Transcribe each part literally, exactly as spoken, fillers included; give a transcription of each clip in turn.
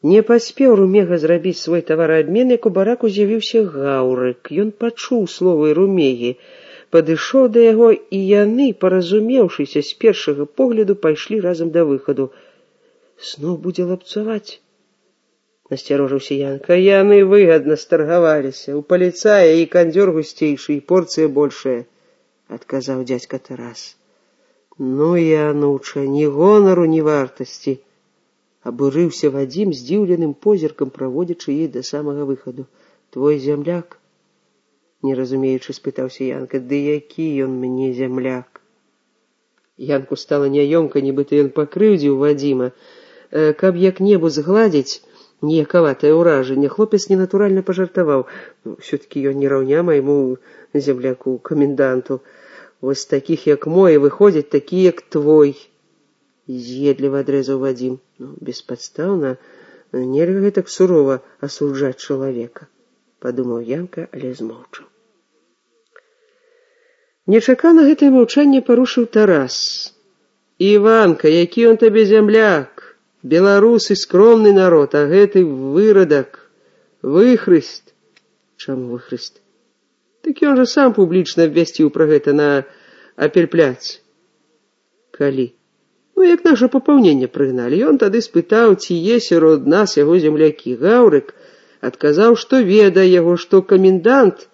Не паспеў Румега зрабіць свой тавараабмен, як у бараку з'явіўся Гаўрык. Ён пачуў словы Румегі, падышоў да яго, і яны, паразумеўшыся з першага погляду, пайшлі разам да выхаду. Зноў будзе лапцаваць? Насцярожыўся Янка. Яны выгадна старгаваліся. У паліцая і кандзёр гусцейшы, і порцыя большая, адказаў дзядзька Тарас. Ну, Януча, ні гонару, ні вартасці. Абурыўся Вадзім здзіўленым позіркам, праводзячы яе да самага выхаду. Твой зямляк? Не разумеючы, спытаўся Янка. Ды які ён мне зямляк? Янку стала няёмка, нібыта ён пакрыўдзіў Вадзіма. Каб як-небудзь згладзіць ніякаватае ўражанне, хлопец ненатуральна пажартаваў. Усё-такі ён не раўня майму земляку, каменданту. Вось такіх, як мой, выходзяць такі, як твой. З'едліва адрэзаў Вадзім. Ну, беспадстаўна, нельга гэтак сурова асуджаць чалавека, падумаў Янка, але змоўчаў. Нечакана гэтае маўчанне парушыў Тарас. Іванка, які ён табе зямляк? Беларусы скромны народ, а гэты вырадак, выхрыст. Чаму выхрыст? Так ён жа сам публічна абвясціў пра гэта на апельпляц. Калі? Ну, як наша папаўненне прыгналі. Ён тады спытаў, ці є сярод нас яго землякі. Гаўрык адказаў, што ведае яго, што камендант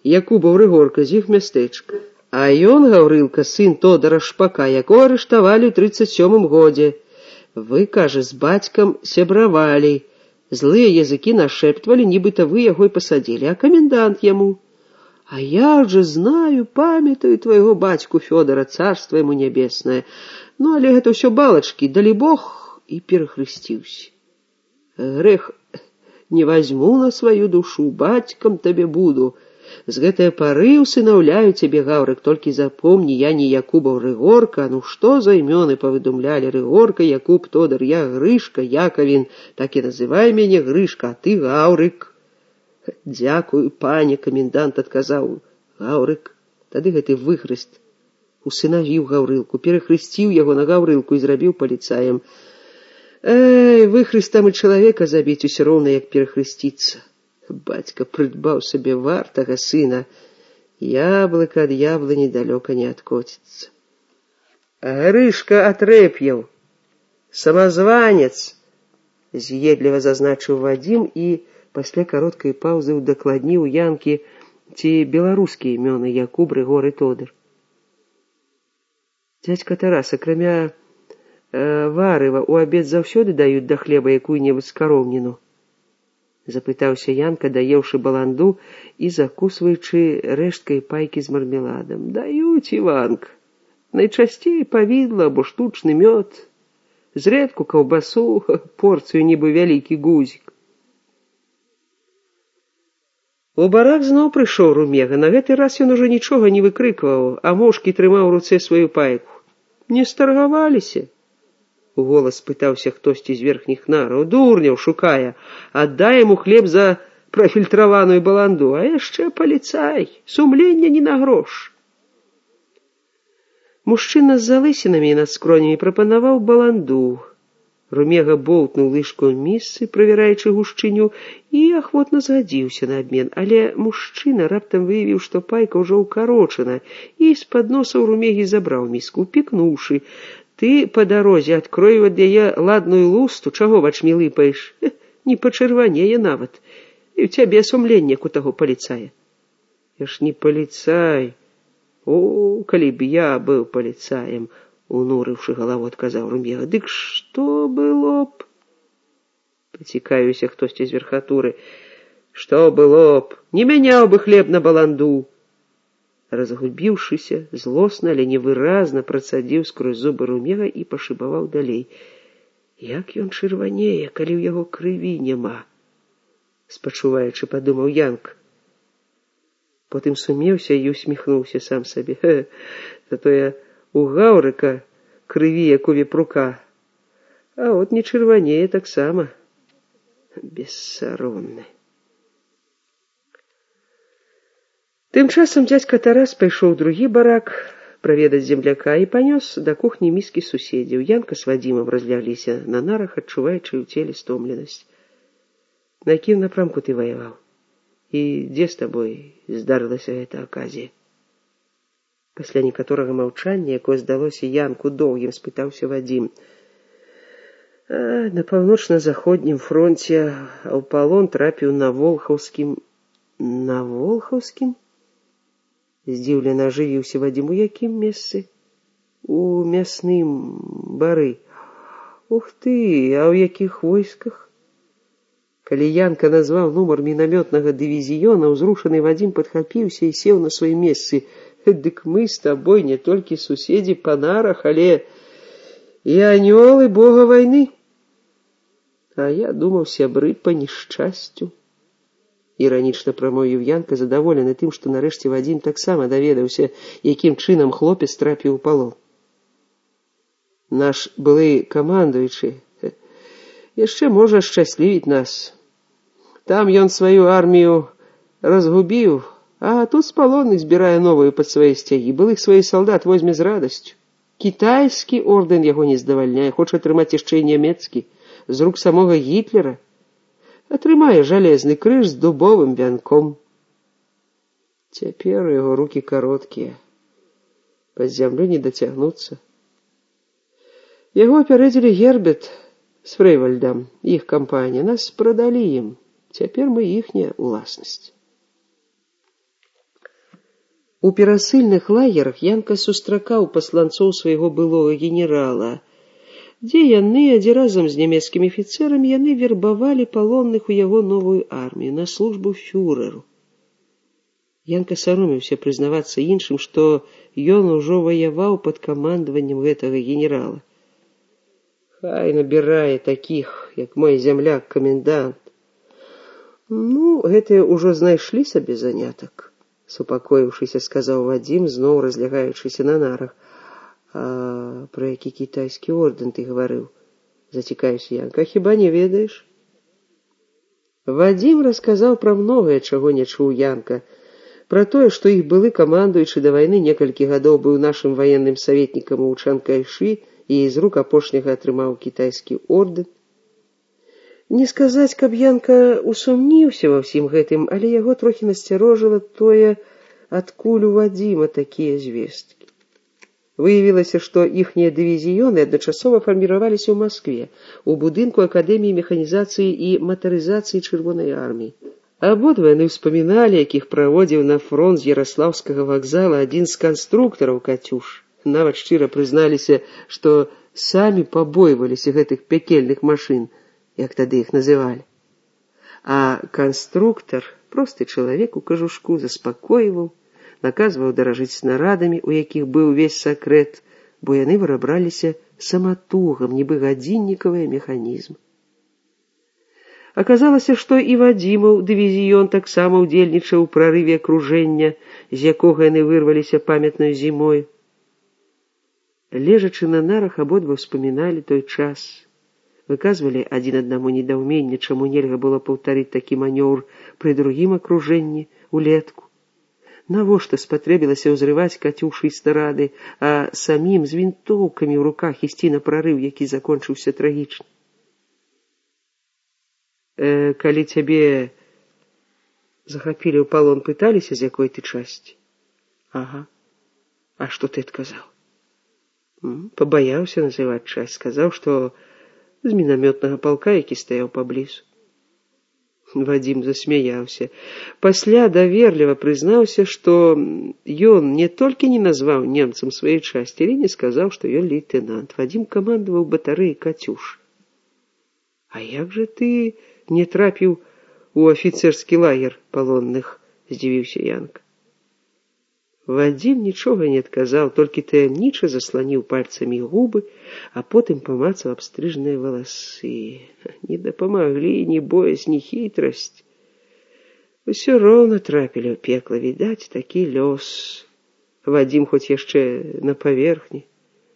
Якубаў Рыгорка з іх мястэчка. А ён, Гаўрылка, сын Тодара Шпака, якого арыштавалі ў трыццаць сёмым годзе. Вы, кажа, з бацькам сябравалі. Злыя языкі нашэптвалі, нібыта вы яго і пасадзілі, а камендант яму. А я же знаю, памятаю твайго бацьку Фёдора, царства ему нябеснае. Ну, але гэта ўсё балачкі, далі Бог, і перахрысціўся. Грэх не вазьму на сваю душу, бацькам табе буду. З гэтае пары усынаўляю цябе, Гаўрык, толькі запомні, я не Якубаў Рыгорка, ну што за імёны павыдумлялі? Рыгорка, Якуб, Тодар, я Грышка, Якавін, так і называй мяне Грышка, а ты Гаўрык. Дзякую, пане, камендант адказаў. Гаўрык, тады гэты выхрыст усынавіў Гаўрылку, перахрысціў яго на Гаўрылку і зрабіў паліцаем. Эй, выхрыстам і чалавека забіць усё роўна, як перахрысціцца. Бацька прыдбаў сабе вартага сына. Яблыка ад яблыні далёка не адкоціцца. Грышка Атрэп'еў, самазванец, з'едліва зазначыў Вадзім і пасля кароткай паўзы удакладніў Янкі, ці беларускія імёны Якуб, Рыгор і Тодар. Дзядзька Тарас, акрамя э, варыва, у абед заўсёды даюць да хлеба якую-небудзь скароўніну? Запытаўся Янка, даеўшы баланду і закусваючы рэшткай пайкі з мармеладам. Даюць, Іванка. Найчасцей павідла або штучны мёд. Зрэдку каўбасу, порцыю нібы вялікі гузік. У барак зноў прыйшоў Румега. На гэты раз ён ужо нічога не выкрыкваў, а моўчкі трымаў у руцэ сваю пайку. Не старгаваліся? У голас спытаўся хтосьці з верхніх нараў. Дурняў шукае. Аддай яму хлеб за прафільтраваную баланду, а яшчэ паліцай. Сумлення не на грош. Мужчына з залысінамі над скронямі прапанаваў баланду. Румега болтнуў лыжку ў місцы, правяраючы гушчыню, і ахвотна згадзіўся на абмен, але мужчына раптам выявіў, што пайка ўжо ўкарочана, і з-пад носа ў Румегі забраў міску, пікнуўшы. Ты па дарозе адкрою ад яе ладную лусту, чаго вачмі лыпаеш? Не пачырванее нават. І ў цябе сумленне, як у таго паліцая. Я ж не паліцай. О, калі б я быў паліцаем, унурыўшы галаву, адказаў Румега. Дык што было б? Пацікаюся хтосьці з верхатуры. Што было б? Не мяняў бы хлеб на баланду. Разгубіўшыся, злосна, але невыразна працадзіў скрозь зубы Румега і пашыбаваў далей. Як ён чырванее, калі ў яго крыві няма? Спачуваючы, падумаў Янка. Потым сумеўся і усміхнуўся сам сабе. Затое у Гаўрыка крыві, як у вепрука, а от не чырванее таксама. Бессаромны. Тым часам дзядзька Тарас пайшоў у другі барак, праведаць земляка і панёс да кухні міскі суседзяў. Янка з Вадзімам разлягліся на нарах, адчуваючы ў целе стомленасць. На якім напрамку ты ваяваў? І дзе з табой здарылася гэта аказія? Пасля некаторага маўчання, якое здалося Янку доўгім, спытаўся Вадзім. А, на паўночна-заходнім фронце, а ў палон трапіў на Волхаўскім. На Волхаўскім? Здзіўлена ажывіўся Вадзім. У якім месцы? У мясным бары. Ух ты, а ў якіх войсках? Калі Янка назваў нумар мінамётнага дывізіёна, узрушаны Вадзім падхапіўся і сеў на сваім месцы. Дык мы з табой не толькі суседзі па нарах, але і анёлы бога вайны. А я думаў, сябры па нешчасцю. Іранічна прамовіў Янка, задаволены тым, што нарэшце Вадзім таксама даведаўся, якім чынам хлопец трапіў у палон. Наш былы камандуючы яшчэ можа шчаслівіць нас. Там ён сваю армію разгубіў, а тут з палонных збірае новую пад свае сцягі. Былых сваіх салдат возьме з радасцю. Кітайскі ордэн яго не здавальняе, хоча атрымаць яшчэ і нямецкі, з рук самога Гітлера. Атрымае жалезны крыж з дубовым вянком. Цяпер яго рукі кароткія, пад зямлю не дацягнуцца. Яго апярэдзілі Герберт з Фрэйвальдам, іх кампанія. Нас прадалі ім. Цяпер мы іхняя ўласнасць. У перасыльных лагерах Янка сустракаў пасланцоў свайго былога генерала, дзе яны, адзін разам з нямецкімі афіцэрамі, яны вербавалі палонных у яго новую армію на службу фюреру. Янка саромеўся прызнавацца іншым, што ён ужо ваяваў пад камандаваннем гэтага генерала. Хай набірае такіх, як мой зямляк-камендант. Ну, гэтыя ўжо знайшлі сабе занятак, супакоіўшыся, сказаў Вадзім, зноў разлягаючыся на нарах. А пра які кітайскі ордэн ты гаварыў? Зацікавіўся Янка. Хіба не ведаеш? Вадзім расказаў пра многае, чаго не чуў Янка. Пра тое, што іх былы камандуючы да вайны некалькі гадоў быў нашым ваенным саветнікам у Чанкайшы і з рук апошняга атрымаў кітайскі ордэн. Не сказаць, каб Янка усумніўся ва ўсім гэтым, але яго трохі насцярожыла тое, адкуль у Вадзіма такія звесткі. Выявілася, што іхнія дывізіёны адначасова фарміраваліся ў Маскве, у будынку Акадэміі механізацыі і матарызацыі Чырвонай арміі. Абодва яны ўспаміналі, якіх праводзіў на фронт з Яраслаўскага вакзала адзін з канструктараў «Катюш». Нават шчыра прызналіся, што самі пабойваліся гэтых пякельных машын, як тады іх называлі. А канструктар, просты чалавек у кажушку, заспакойваў, наказваў даражыць снарадамі, у якіх быў увесь сакрэт, бо яны вырабраліся саматугам, нібы гадзіннікавыя механізмы. Аказалася, што і Вадзімаў дывізіён таксама ўдзельнічаў у прарыве акружэння, з якога яны вырваліся памятнай зімой. Лежачы на нарах, абодва ўспаміналі той час. Выказвалі адзін аднаму недаўменне, чаму нельга было паўтарыць такі манёўр пры другім акружэнні улетку. Навошта спатрэбілася ўзрываць «Катюшы» і снарады, а самім з вінтоўкамі ў руках ісці на прарыў, які закончыўся трагічна. Э, калі цябе захапілі ў палон, пыталіся, з якой ты часці? Ага. А што ты адказаў? Пабаяўся называць часць, сказаў, што з мінамётнага палка, які стаяў паблізу. Вадзім засмяяўся. Пасля даверліва прызнаўся, што ён не толькі не назваў немцам сваёй часці, але не сказаў, што ён лейтэнант. Вадзім камандаваў батарэяй «Катюш». А як жа ты не трапіў у афіцэрскі лагер палонных? Здзівіўся Янка. Вадзім нічога не адказаў, толькі таямніча засланіў пальцамі губы, а потым памацаў абстрыжныя валасы. Не дапамаглі ні боязь, ні хітрасць. Усё роўна трапілі ў пекла, відаць, такі лёс. Вадзім хоць яшчэ на паверхні,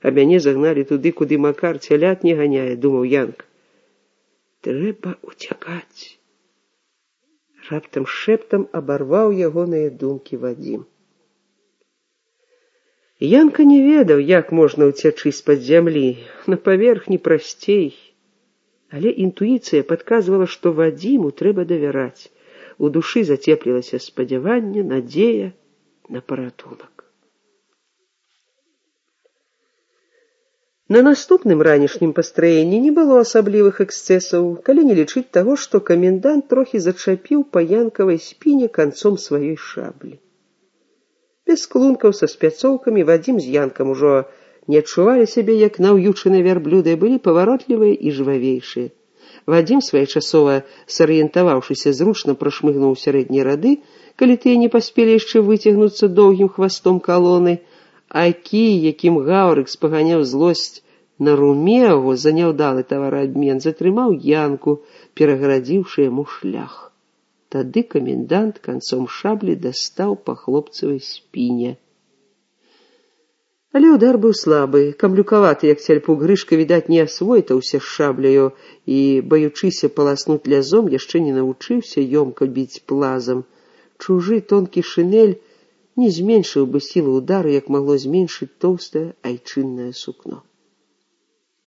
а мяне загналі туды, куды Макар цялят не ганяе, думаў Янка. Трэба уцякаць. Раптам шэптам абарваў ягоныя думкі Вадзім. Янка не ведаў, як можна ўцячы з-пад зямлі, на паверхні прасцей. Але інтуіцыя падказвала, што Вадзіму трэба давяраць. У душы зацеплілася спадзяванне, надзея на паратунак. На наступным ранішнім пастраенні не было асаблівых эксцэсаў, калі не лічыць таго, што камендант трохі зачапіў па янкавай спіне канцом сваёй шаблі. Без клункаў са спяцоўкамі Вадзім з Янкам ужо не адчувалі сябе, як наўючаныя вярблюды, былі паваротлівыя і жвавейшыя. Вадзім, своечасова сарыентаваўшыся, зручна прашмыгнуў сярэднія рады, калі тыя не паспелі яшчэ выцягнуцца доўгім хвастом калоны, а кій, якім гаўрык спаганяў злосць на Румеагу за няўдалы тавараабмен, затрымаў Янку, перагарадзіўшы яму шлях. Тады камендант канцом шаблі дастаў па хлопцавай спіне. Але удар быў слабы, камлюкаваты, як цяльпук Грышка, відаць, не асвойтаўся з шабляю і, баючыся паласнуць лязом, яшчэ не навучыўся ёмка біць плазам. Чужы тонкі шинель не зменшыў бы сілу удару, як магло зменшыць тоўстае айчыннае сукно.